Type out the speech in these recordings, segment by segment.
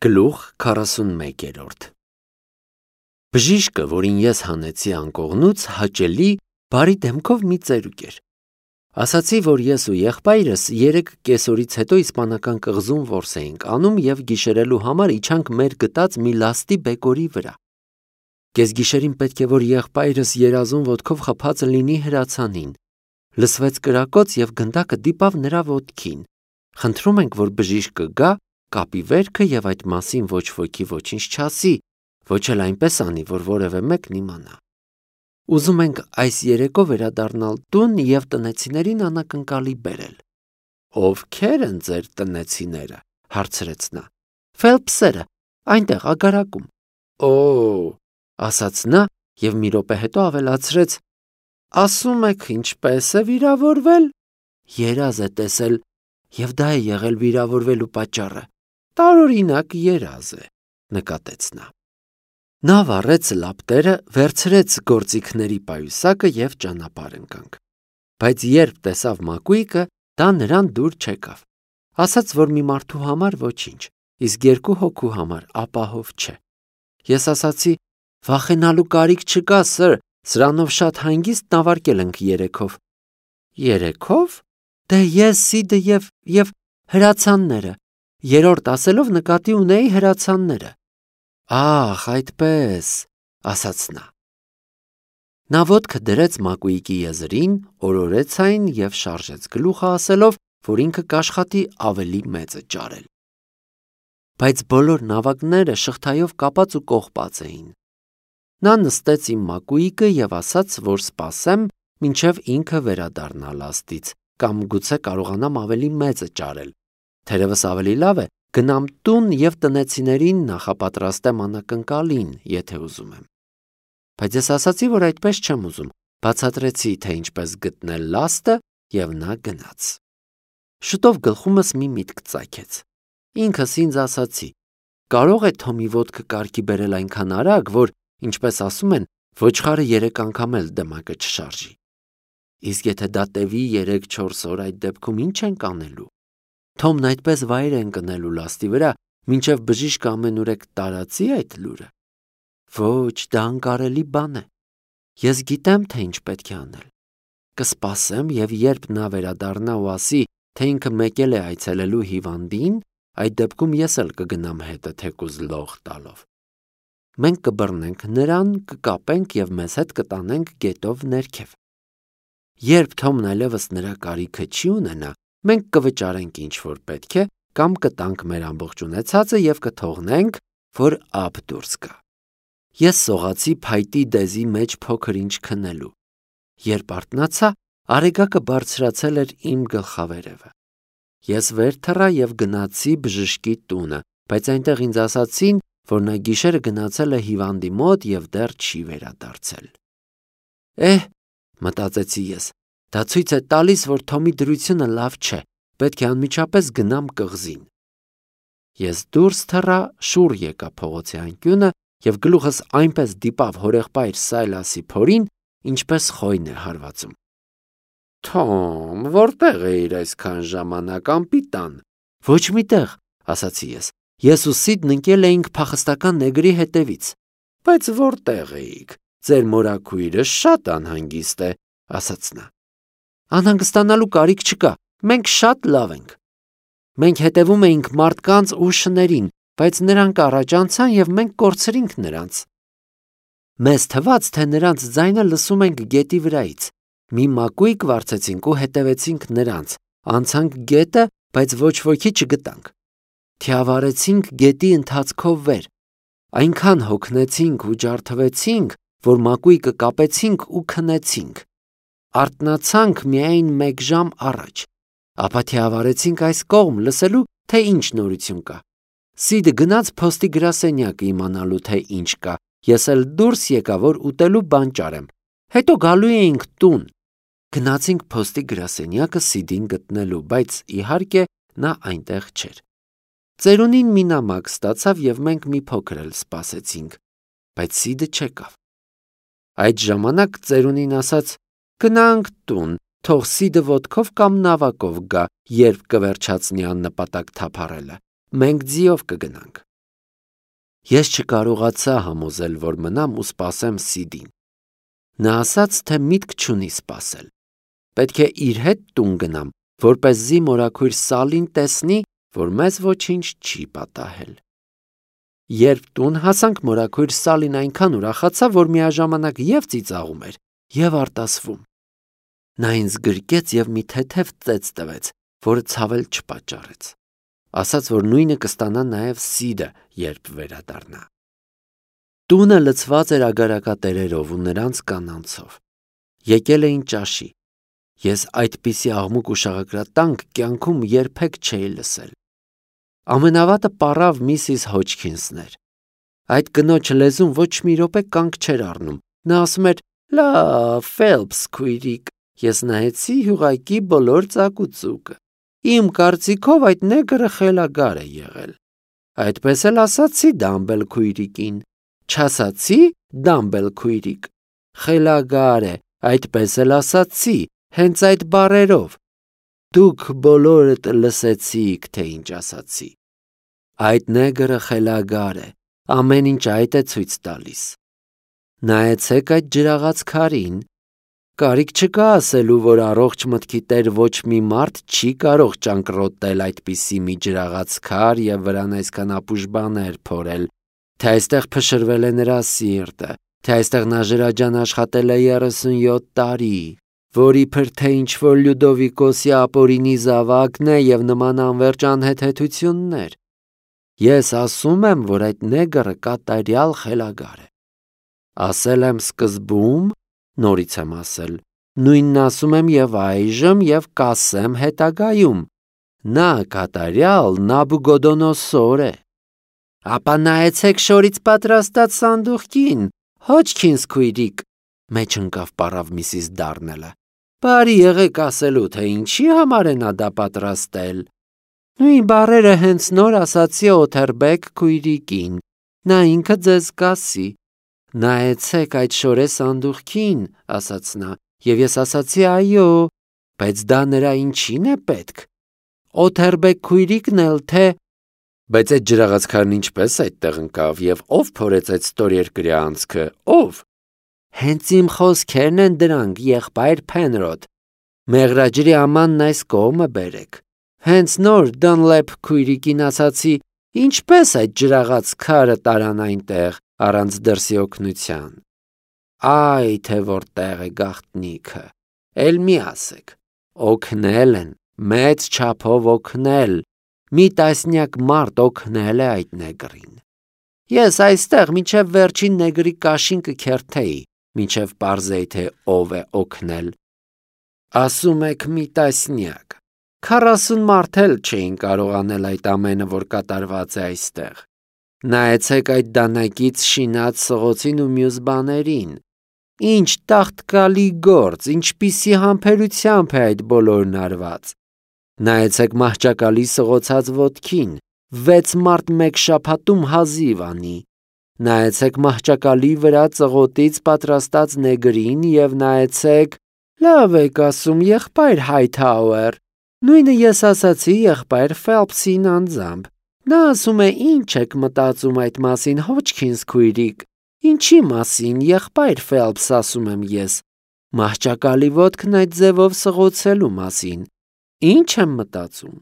Գլուխ 41 Բժիշկը, որին ես հանեցի անկողնուց, հաճելի, բարի դեմքով մի ծերուկ էր։ Ասացի, որ ես ու եղբայրս 3 կեսօրից հետո իսպանական կղզում որս էինք անում և գիշերելու համար իջանք մեր գտած մի լաստի բեկորի վրա։ Կեսգիշերին պետք է, որ եղբայրս երազուն ոտքով խփած լինի հրացանին։ Լսվեց կրակոց և գնդակը դիպավ նրա ոտքին։ Խնդրում ենք, որ բժիշկը գա, կապի վերքը և այդ մասին ոչ ոքի ոչինչ չասի, ոչ էլ այնպես անի, որ որևէ մեկն իմանա։ Ուզում ենք այս երեկո վերադառնալ տուն և տնեցիներին անակնկալի բերել։ Ովքե՞ր են ձեր տնեցիները, հարցրեց նա։ Ֆելպսերը, այնտեղ ագարակում։ Օ, ասաց նա և մի րոպե հետո ավելացրեց. ասում եք ինչպես է վիրավորվել։ Երազ է տեսել, և դա է եղել վիրավորվելու պատճառը։ Տարօրինակ երազ է, նկատեց նա։ Նա վառեց լապտերը, վերցրեց գործիքների պայուսակը և ճանապարհ ընկանք։ Բայց երբ տեսավ մակույկը, դա նրան դուր չեկավ։ Ասաց, որ մի մարդու համար ոչինչ, իսկ 2 հոգու համար ապահով չէ։ Ես ասացի. վախենալու կարիք չկա, սըր, սրանով շատ հանգիստ նավարկել ենք երեքով։ Երեքով։ Դե ես, Սիդը և հրացանները, 3-րդ ասելով նկատի ունեի հրացանները։ Ահ, այդպես, ասաց նա։ Նա ոտքը դրեց մակույկի եզրին, օրորեց այն և շարժեց գլուխը ասելով, որ ինքը կաշխատի ավելի մեծը ճարել։ Բայց բոլոր նավակները շղթայով կապած ու կողպած էին։ Նա նստեց իմ մակույկը և ասաց, որ սպասեմ, մինչև ինքը վերադառնա լաստից, կամ գուցե կարողանամ ավելի մեծը ճարել։ Թերևս ավելի լավ է գնամ տուն և տնեցիներին նախապատրաստեմ անակնկալին, եթե ուզում եմ։ Բայց ես ասացի, որ այդպես չեմ ուզում, բացատրեցի, թե ինչպես գտնել լաստը, և նա գնաց։ Շուտով գլխումս մի միտք ծագեց։ Ինքս ինձ ասացի. կարող է Թոմի ոտքը կարգի բերել այնքան արագ, որ, ինչպես ասում են, ոչխարը 3 անգամ էլ դմակը չշարժի։ Իսկ եթե դա տևի 3-4 օր, այդ դեպքում ինչ ենք անելու։ Թոմն այդպես վայր է ընկնելու լաստի վրա, մինչև բժիշկը ամենուրեք տարածի այդ լուրը։ Ոչ, դա անկարելի բան է։ Ես գիտեմ, թե ինչ պետք է անել։ Կսպասեմ և երբ նա վերադառնա ու ասի, թե ինքը մեկել է այցելելու հիվանդին, այդ դեպքում ես էլ կգնամ հետը թեկուզ լող տալով։ Մենք կբռնենք նրան, կկապենք և մեզ հետ կտանենք գետով ներքև։ Երբ Թոմն այլևս նրա կարիքը չի ունենա, մենք կվճարենք ինչ որ պետք է, կամ կտանք մեր ամբողջ ունեցածը և կթողնենք, որ ափ դուրս գա։ Ես սողացի փայտի դեզի մեջ փոքր ինչ քնելու։ Երբ արթնացա, Արեգակը բարձրացել էր իմ գլխավերևը։ Ես վեր թռա և գնացի բժշկի տունը, բայց այնտեղ ինձ ասացին, որ նա գիշերը գնացել է հիվանդի մոտ և դեռ չի վերադարձել։ Մտածեցի ես, դա ցույց է տալիս, որ Թոմի դրությունը լավ չէ, պետք է անմիջապես գնամ կղզին։ Ես դուրս թռա, շուռ եկա փողոցի անկյունը և գլուխս այնպես դիպավ հորեղբայր Սայլասի փորին, ինչպես խոյն է հարվածում։ Թոմ, որտեղ էիր այսքան ժամանակ, անպիտան։ Ոչ մի տեղ, ասացի ես։ Ես ու Սիդն ընկել էինք փախստական նեգրի հետևից։ Բայց որտեղ էիք։ Ձեր մորաքույրը շատ անհանգիստ է, ասաց նա։ Անհանգստանալու կարիք չկա, մենք շատ լավ ենք։ Մենք հետևում էինք մարդկանց ու շներին, բայց նրանք առաջ անցան և մենք կորցրինք նրանց։ Մեզ թվաց, թե նրանց ձայնը լսում ենք գետի վրայից։ Մի մակույկ վարձեցինք ու հետևեցինք նրանց, անցանք գետը, բայց ոչ ոքի չգտանք։ Թիավարեցինք գետի ընթացքով վեր։ Այնքան հոգնեցինք ու ջարդվեցինք, որ մակույկը կապեցինք ու քնեցինք։ Արթնացանք միայն 1 ժամ առաջ։ Ապա թիավարեցինք այս կողմ լսելու, թե ինչ նորություն կա։ Սիդը գնաց փոստի գրասենյակը իմանալու, թե ինչ կա։ Ես էլ դուրս եկա, որ ուտելու բան ճարեմ։ Հետո գալու էինք տուն։ Գնացինք փոստի գրասենյակը Սիդին գտնելու, բայց իհարկե նա այնտեղ չէր։ Ծերունին մի նամակ ստացավ և մենք մի փոքր էլ սպասեցինք, բայց Սիդը չեկավ։ Այդ ժամանակ ծերունին ասաց. գնանք տուն, թող Սիդը ոտքով կամ նավակով գա, երբ կվերջացնի աննպատակ թափառելը։ Մենք ձիով կգնանք։ Ես չկարողացա համոզել, որ մնամ ու սպասեմ Սիդին։ Նա ասաց, թե միտք չունի սպասել։ Պետք է իր հետ տուն գնամ, որպեսզի մորաքույր Սալին տեսնի, որ մեզ ոչինչ չի պատահել։ Երբ տուն հասանք, մորաքույր Սալին այնքան ուրախացավ, որ միաժամանակ և ծիծաղում էր, և արտասվում։ Նա ինձ գրկեց և մի թեթև ծեծ տվեց, որը ցավել չպատճառեց։ Ասաց, որ նույնը կստանա նաև Սիդը, երբ վերադառնա։ Տունը լցված էր ագարակատերերով ու նրանց կանանցով։ Եկել էին ճաշի։ Ես այդպիսի աղմուկ ու շաղակրատանք կյանքում երբեք չէի լսել։ Ամենավատը պառավ Միսիս Հոջքինսն էր։ Այդ կնոջ լեզուն ոչ մի րոպե կանգ չէր առնում։ Նա ասում էր. «Լավ, Ֆելփս քույրիկ, ես նայեցի հյուղակի բոլոր ծակուցուկը։ Իմ կարծիքով այդ նեգրը խելագար է եղել։ Այդպես էլ ասացի Դամբել քույրիկին։ Չասացի Դամբել քույրիկ։ Խելագար է, այդպես էլ ասացի, հենց այդ բառերով։ Դուք բոլորդ լսեցիք, թե ինչ ասացի։ Այդ նեգրը խելագար է, ամեն ինչ այդ է ցույց տալիս։ Նայեցեք այդ ջրաղաց քարին։ Կարիք չկա ասելու, որ առողջ մտքի տեր ոչ մի մարդ չի կարող ճանկռոտել այդպիսի մի ջրաղաց քար և վրան այսքան ապուշ բաներ փորել, թե այստեղ փշրվել է նրա սիրտը, թե այստեղ նա ջրաջան աշխատել է 37 տարի, որ իբր թե ինչ-որ Լյուդովիկոսի ապօրինի զավակն է և նման անվերջ անհեթեթություններ։ Ես ասում եմ, որ այդ նեգրը կատարյալ խելագար է։ Ասել եմ սկզբում, նորից եմ ասել, նույնն ասում եմ և այժմ և կասեմ հետագայում. նա կատարյալ Նաբուգոդոնոսոր է։ Ապա նայեցեք շորից պատրաստած սանդուղքին, Հոջքինս քույրիկ, մեջ ընկավ պառավ Միսիս Դառնելը։ Բարի եղեք ասելու, թե ինչի համար է նա դա պատրաստել։ Նույն բառերը հենց նոր ասացի Օթերբեկ քույրիկին, նա ինքը ձեզ կասի։ Նայեցեք այդ շորե սանդուղքին, ասաց նա, և ես ասացի այո, բայց դա նրա ինչին է պետք։ Օթերբեկ քույրիկն էլ թե… Բայց այդ ջրաղացքարն ինչպես այդտեղ ընկավ և ով փորեց այդ ստորերկրյա անցքը, ով։ Հենց իմ խոսքերն են դրանք, եղբայր Փենրոդ։ Մեղրաջրի ամանն այս կողմը բերեք։ Հենց նոր Դանլեփ քույրիկին ասացի, ինչպես այդ ջրաղաց քարը տարան այնտեղ առանց դրսի օգնության։ Այ թե որտեղ է գաղտնիքը, էլ մի ասեք։ Օգնել են, մեծ չափով օգնել, մի տասնյակ մարդ օգնել է այդ նեգրին։ Ես այստեղ մինչև վերջին նեգրի կաշին կքերթեի, մինչև պարզեի, թե ով է օգնել։ Ասում եք մի տասնյակ, 40 մարդ էլ չէին կարող անել այդ ամենը, որ կատարված է այստեղ։ Նայեցեք այդ դանակից շինած սղոցին ու մյուս բաներին։ Ինչ տաղտկալի գործ, ինչպիսի համբերությամբ է այդ բոլորն արված։ Նայեցեք մահճակալի սղոցած ոտքին, 6 մարդ մեկ շաբաթում հազիվ անի։ Նայեցեք մահճակալի վրա ծղոտից պատրաստած նեգրին և նայեցեք… Լավ եք ասում, եղբայր Հայթհաուեր։ Նույնը ես ասացի եղբայր Ֆելփսին անձամբ։ Նա ասում է, ինչ եք մտածում այդ մասին, Հոջքինս քույրիկ։ Ինչի մասին, եղբայր Ֆելփս, ասում եմ ես։ Մահճակալի ոտքն այդ ձևով սղոցելու մասին։ Ինչ եմ մտածում։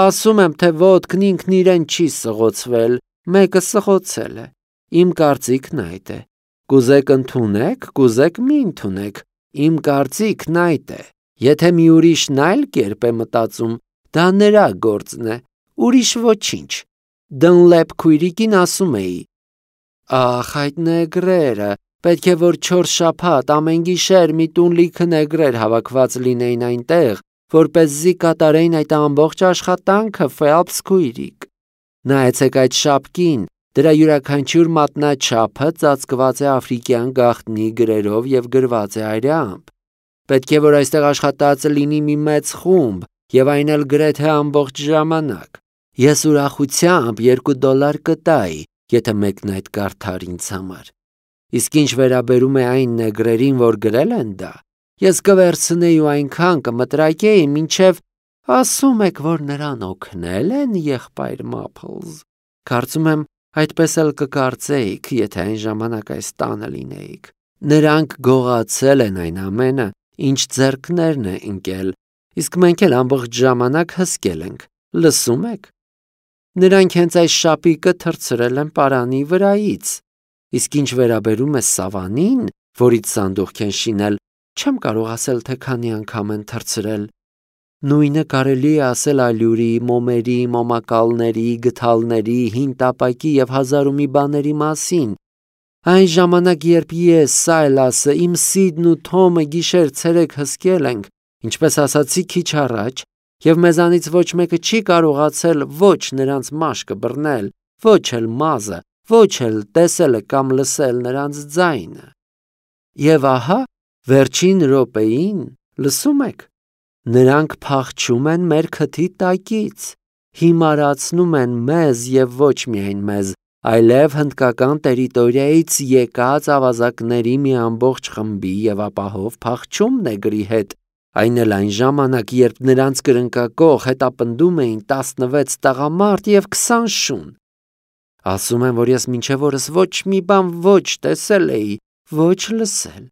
Ասում եմ, թե ոտքն ինքն իրեն չի սղոցվել, մեկը սղոցել է։ Իմ կարծիքն այդ է։ Կուզեք ընդունեք, կուզեք մի ընդունեք։ Իմ կարծիքն այդ է։ Եթե մի ուրիշն այլ կերպ է մտածում, դա նրա գործն է, ուրիշ ոչինչ։ Դնլեփ քույրիկին ասում էի. Ախ, այդ նեգրերը, պետք է որ 4 շաբաթ ամեն գիշեր մի տուն լիքը նեգրեր հավաքված լինեին այնտեղ, որպեսզի կատարեին այդ ամբողջ աշխատանքը, Ֆելփս քույրիկ։ Նայեցեք այդ շապկին, դրա յուրաքանչյուր մատնաչափը ծածկված է աֆրիկյան գաղտնի գրերով և գրված է այրամբ։ Պետք է որ այստեղ աշխատած լինի մի մեծ խումբ, և այն էլ գրեթե ամբողջ ժամանակ։ Ես ուրախությամբ $2 կտայի, եթե մեկն այդ կարդար ինձ համար։ Իսկ ինչ վերաբերում է այն նեգրերին, որ գրել են դա, ես կվերցնեի ու այնքան կմտրակեի, մինչև… Ասում եք, որ նրան օգնել են, եղբայր Մափլզ։ Կարծում եմ, Այդպես էլ կկարծեիք, եթե այն ժամանակ այս տանը լինեիք։ Նրանք գողացել են այն ամենը, ինչ ձեռքներն է ընկել, իսկ մենք էլ ամբողջ ժամանակ հսկել ենք, լսում եք։ Նրանք հենց այս շապիկը թռցրել են պարանի վրայից, իսկ ինչ վերաբերում է սավանին, որից սանդուղք են շինել, չեմ կարող ասել, թե քանի անգամ են թռցրել։ Նույնը կարելի է ասել ալյուրի, մոմերի, մոմակալների, գդալների, հին տապակի և հազար ու մի բաների մասին։ Այն ժամանակ, երբ ես, Սայլասը, իմ Սիդն ու Թոմը գիշեր-ցերեկ հսկել ենք, ինչպես ասացի քիչ առաջ, և մեզանից ոչ մեկը չի կարողացել ոչ նրանց մաշկը բռնել, ոչ էլ մազը, ոչ էլ տեսել կամ լսել նրանց ձայնը։ Եվ ահա, վերջին րոպեին, լսում եք, նրանք փախչում են մեր քթի տակից, հիմարացնում են մեզ և ոչ միայն մեզ, այլև հնդկական տերիտորիայից եկած ավազակների մի ամբողջ խմբի և ապահով փախչում նեգրի հետ, այն էլ այն ժամանակ, երբ նրանց կրնկակող հետապնդում էին 16 տղամարդ և 20 շուն։ Ասում եմ, որ ես մինչև օրս ոչ մի բան ոչ տեսել էի, ոչ լսել։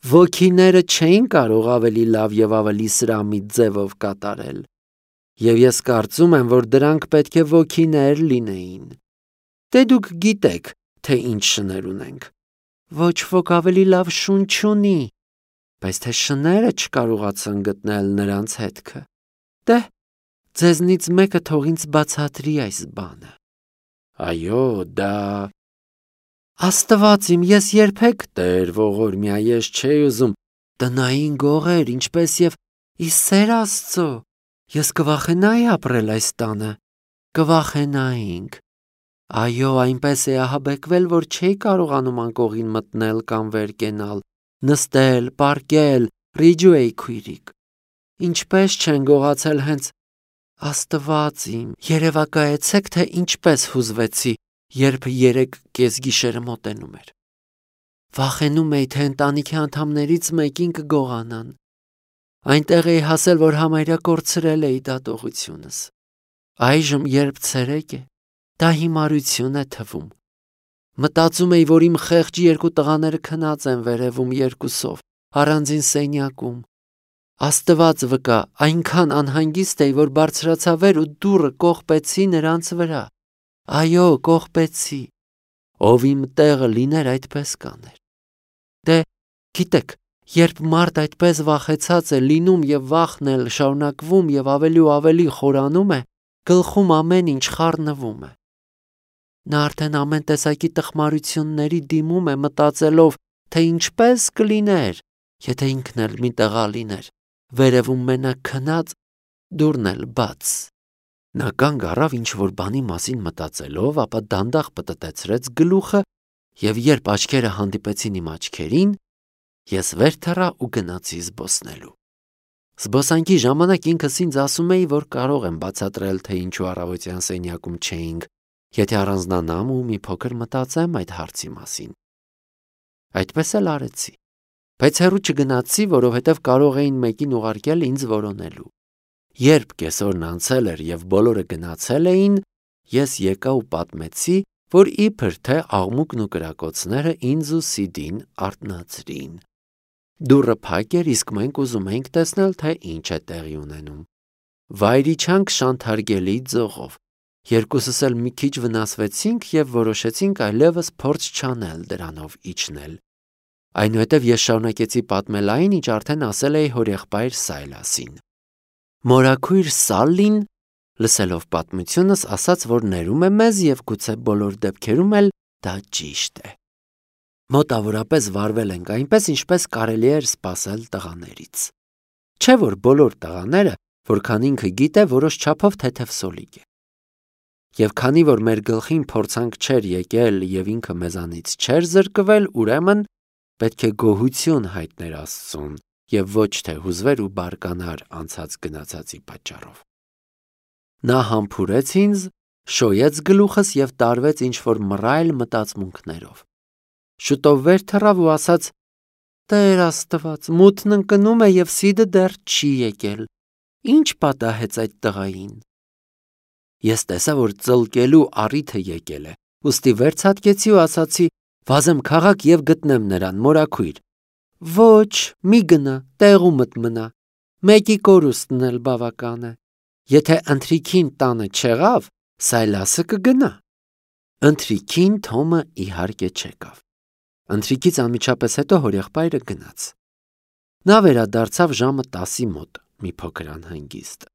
Ոգիները չէին կարող ավելի լավ և ավելի սրամիտ ձևով կատարել։ Եվ ես կարծում եմ, որ դրանք պետք է ոգիներ լինեին։ Դե դուք գիտեք, թե ինչ շներ ունենք։ Ոչ ոք ավելի լավ շուն չունի, բայց թե շները չկարողացան գտնել նրանց հետքը։ Դե, ձեզնից մեկը թող ինձ բացատրի այս բանը։ Այո, դա… Աստված իմ, ես երբեք Տեր ողորմյա, ես չէի ուզում, տնային գողեր, ինչպես և ի սեր Աստծո, ես կվախենայի ապրել այս տանը, կվախենայինք։ Այո, այնպես է ահաբեկվել, որ չէի կարողանում անկողին մտնել կամ վեր կենալ, նստել, պառկել, ռիջու էի քույրիկ։ Ինչպես չեն գողացել հենց… Աստված իմ, երևակայեցեք, թե ինչպես հուզվեցի, երբ 3 կեսգիշերը մոտենում էր։ Վախենում էի, թե ընտանիքի անդամներից մեկին կգողանան։ Այնտեղ էի հասել, որ համարյա կորցրել էի դատողությունս։ Այժմ, երբ ցերեկ է, դա հիմարություն է թվում։ Մտածում էի, որ իմ խեղճ 2 տղաները քնած են վերևում 2-ով, առանձին սենյակում։ Աստված վկա, այնքան անհանգիստ էի, որ բարձրացա վեր ու դուռը կողպեցի նրանց վրա։ Այո, կողպեցի։ Ով իմ տեղը լիներ, այդպես կաներ։ Դե, գիտեք, երբ մարդ այդպես վախեցած է լինում և վախն էլ շարունակվում և ավելի ու ավելի խորանում է, գլխում ամեն ինչ խառնվում է։ Նա արդեն ամեն տեսակի տխմարությունների դիմում է, մտածելով, թե ինչպես կլիներ, եթե ինքն էլ մի տղա լիներ, վերևում մենակ քնած, դուռն էլ բաց։ Նա կանգ առավ ինչ-որ բանի մասին մտածելով, ապա դանդաղ պտտեցրեց գլուխը և երբ աչքերը հանդիպեցին իմ աչքերին, ես վեր թռա ու գնացի զբոսնելու։ Զբոսանքի ժամանակ ինքս ինձ ասում էի, որ կարող եմ բացատրել, թե ինչու առավոտյան սենյակում չէինք, եթե առանձնանամ ու մի փոքր մտածեմ այդ հարցի մասին։ Այդպես էլ արեցի, բայց հեռու չգնացի, որովհետև կարող էին մեկին ուղարկել ինձ որոնելու։ Երբ կեսօրն անցել էր և բոլորը գնացել էին, ես եկա ու պատմեցի, որ իբր թե աղմուկն ու կրակոցները ինձ ու Սիդին արթնացրին։ Դուռը փակ էր, իսկ մենք ուզում էինք տեսնել, թե ինչ է տեղի ունենում։ Վայր իջանք շանթարգելի ձողով։ Երկուսս էլ մի քիչ վնասվեցինք և որոշեցինք այլևս փորձ չանել դրանով իջնել։ Այնուհետև ես շարունակեցի պատմել այն, ինչ արդեն ասել էի հորեղբայր Սայլասին։ Մորաքույր Սալլին, լսելով պատմությունս, ասաց, որ ներում է մեզ և գուցե բոլոր դեպքերում էլ դա ճիշտ է։ Մոտավորապես վարվել ենք այնպես, ինչպես կարելի էր սպասել տղաներից։ Չէ՞ որ բոլոր տղաները, որքան ինքը գիտե, որոշ չափով թեթև սոլիկ է։ Եվ քանի որ մեր գլխին փորձանք չէր եկել և ինքը մեզանից չէր զրկվել, ուրեմն պետք է գոհություն հայտներ Աստծուն և ոչ թե հուզվեր ու բարկանար անցած գնացածի պատճառով։ Նա համբուրեց ինձ, շոյեց գլուխս և տարվեց ինչ-որ մռայլ մտածմունքներով։ Շուտով վեր թռավ ու ասաց. «Տեր Աստված, մութն ընկնում է և Սիդը դեռ չի եկել։ Ինչ պատահեց այդ տղային»։ Ես տեսա, որ ծլկելու առիթը եկել է ուստի վերցատկեցի ու ասացի. «Վազեմ քաղաք եւ գտնեմ նրան, մորաքույր»։ «Ոչ, մի գնա, տեղումդ մնա, մեկի կորուստն էլ բավական է։ Եթե ընթրիքին տանը չեղավ, Սայլասը կգնա»։ Ընթրիքին Թոմը իհարկե չեկավ։ Ընթրիքից անմիջապես հետո հորեղբայրը գնաց։ Նա վերադարձավ ժամը 10-ի մոտ, մի փոքր անհանգիստ։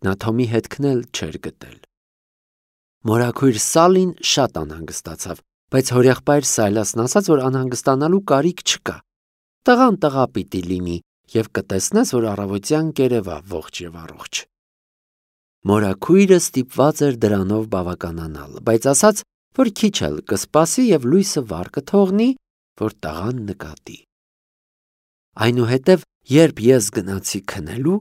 Նա Թոմի հետքն էլ չէր գտել։ Մորաքույր Սալին շատ անհանգստացավ, բայց հորեղբայր Սայլասն ասաց, որ անհանգստանալու կարիք չկա։ Տղան տղա պիտի լինի եւ կտեսնես, որ առավոտյան կերևա ողջ եւ առողջ։ Մորաքույրը ստիպված էր դրանով բավականանալ, բայց ասաց, որ քիչ էլ կսպասի եւ լույսը վառ կթողնի, որ տղան նկատի։ Այնուհետև, երբ ես գնացի քնելու,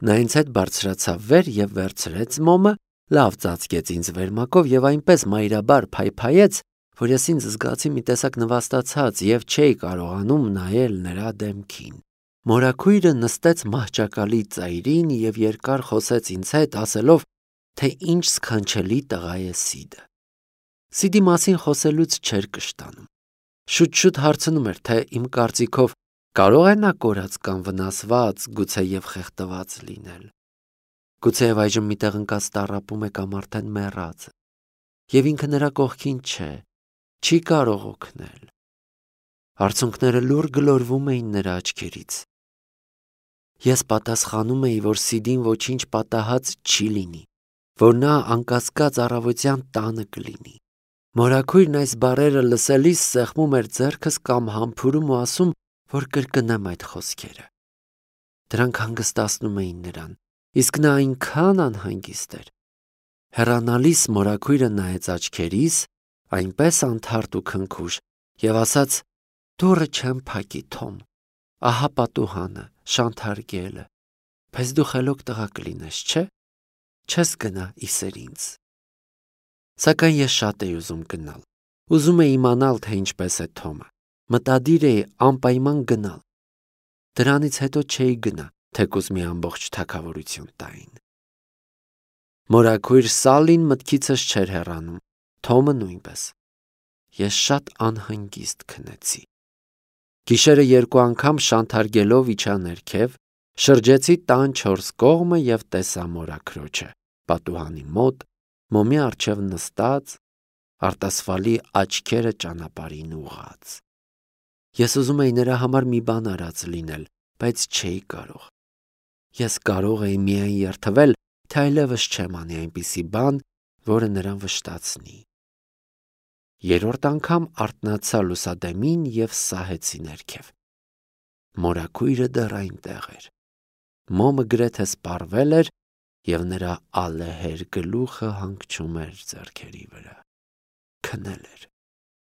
նա ինձ հետ բարձրացավ վեր եւ վերցրեց մոմը, լավ ծածկեց ինձ վերմակով եւ այնպես մայրաբար փայփայեց, որ ես ինձ զգացի մի տեսակ նվաստացած եւ չէի կարողանում նայել նրա դեմքին։ Մորաքույրը նստեց մահճակալի ծայրին եւ երկար խոսեց ինձ հետ, ասելով, թե ինչ սքանչելի տղա է Սիդը։ Սիդի մասին խոսելուց չէր կշտանում։ Շուտ-շուտ հարցնում էր, թե իմ կարծիքով կարող է նա կորած կամ վնասված, գուցե եւ խեղդված լինել։ Գուցեև այժմ միտեղ ընկած տառապում է կամ արդեն մեռած է։ Եվ ինքը նրա կողքին չէ, չի կարող օգնել։ Արցունքները լուռ գլորվում էին նրա աչքերից։ Ես պատասխանում էի, որ Սիդին ոչինչ պատահած չի լինի, որ նա անկասկած առավոտյան տանը կլինի։ Մորաքույրն այս բառերը լսելիս սեղմում էր ձեռքս կամ համբուրում ու ասում, որ կրկնեմ այդ խոսքերը։ Դրանք հանգստացնում էին նրան, իսկ նա այնքան անհանգիստ էր։ Հեռանալիս մորաքույրը նայեց աչքերիս, այնպես անթարթ ու քնքուշ, եւ ասաց. «Դուռը չեմ փակի, Թոմ, ահա պատուհանը, շանթարգելը, բայց դու խելոք տղա կլինես, չէ՞, չես գնա իսեր ինձ»։ Սակայն ես շատ էի ուզում գնալ։ Ուզում էի իմանալ, թե ինչպես է Թոմը։ Մտադիր էի անպայման գնալ։ Դրանից հետո չէի գնա, թեկուզ մի ամբողջ թագավորություն տային։ Մորաքույր Սալին մտքիցս չէր հեռանում, Թոմը նույնպես։ Ես շատ անհանգիստ քնեցի։ Գիշերը 2 անգամ շանթարգելով իջա ներքև, շրջեցի տան 4 կողմը եւ տեսա մորաքրոջը պատուհանի մոտ, մոմի առջև նստած, արտասվալի աչքերը ճանապարհին ուղղած։ Ես ուզում էի նրա համար մի բան արած լինել, բայց չէի կարող։ Ես կարող էի միայն երթվել, թե այլևս չեմ անի այնպիսի բան, որը նրան վշտացնի։ 3-րդ անգամ արթնացա լուսադեմին եւ սահեցի ներքև։ Մորաքույրը դեռ այնտեղ էր։ Մոմը գրեթե սպառվել էր եւ նրա ալեհեր գլուխը հանգչում էր ձեռքերի վրա։ Քնել էր։